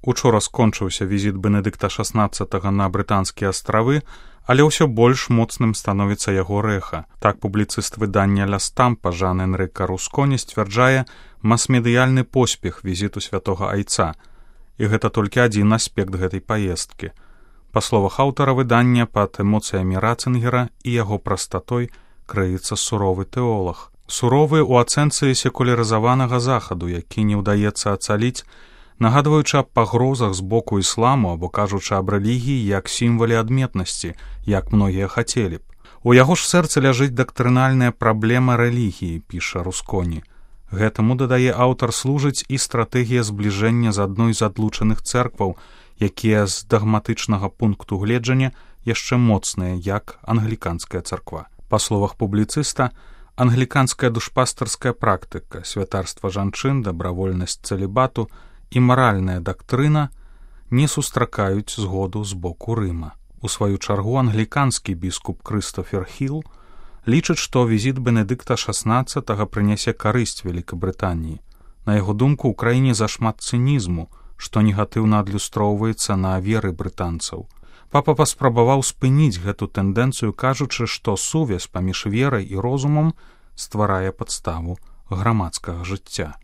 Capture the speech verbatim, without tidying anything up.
Учора скончыўся візіт Бенедыкта шаснаццатага на брытанскія астравы, але ўсё больш моцным становіцца яго рэха. Так публіцыст выдання «Ля Стампа» Жан-Энрыка Русконі сцвярджае мас-медыяльны поспех візіту святога айца. І гэта толькі адзін аспект гэтай паездкі. Па словах аўтара выдання, пад эмоцыямі Ратцынгера і яго прастатой крыецца суровы тэолаг. Суровы ў ацэнцы секулярызаванага захаду, які не ўдаецца ацаліць, нагадваючы аб пагрозах з боку ісламу або кажучы аб рэлігіі як сімвале адметнасці, як многія хацелі б. У яго ж сэрцы ляжыць дактрынальная праблема рэлігіі, піша Русконі. Гэтаму, дадае аўтар, служыць і стратэгія збліжэння з адной з адлучаных цэркваў, якія з дагматычнага пункту гледжання яшчэ моцныя, як англіканская царква. Па словах публіцыста, англіканская душпастарская практыка, святарства жанчын, дабравольнасць цэлібату і маральная дактрына не сустракаюць згоду з боку Рыма. У сваю чаргу англіканскі біскуп Крыстофер Хіл лічыць, што візіт Бенедыкта шаснаццатага прынясе карысць Вялікабрытаніі. На яго думку, у краіне зашмат цынізму, што негатыўна адлюстроўваецца на веры брытанцаў. Папа паспрабаваў спыніць гэту тэндэнцыю, кажучы, што сувязь паміж верай і розумам стварае падставу грамадскага жыцця.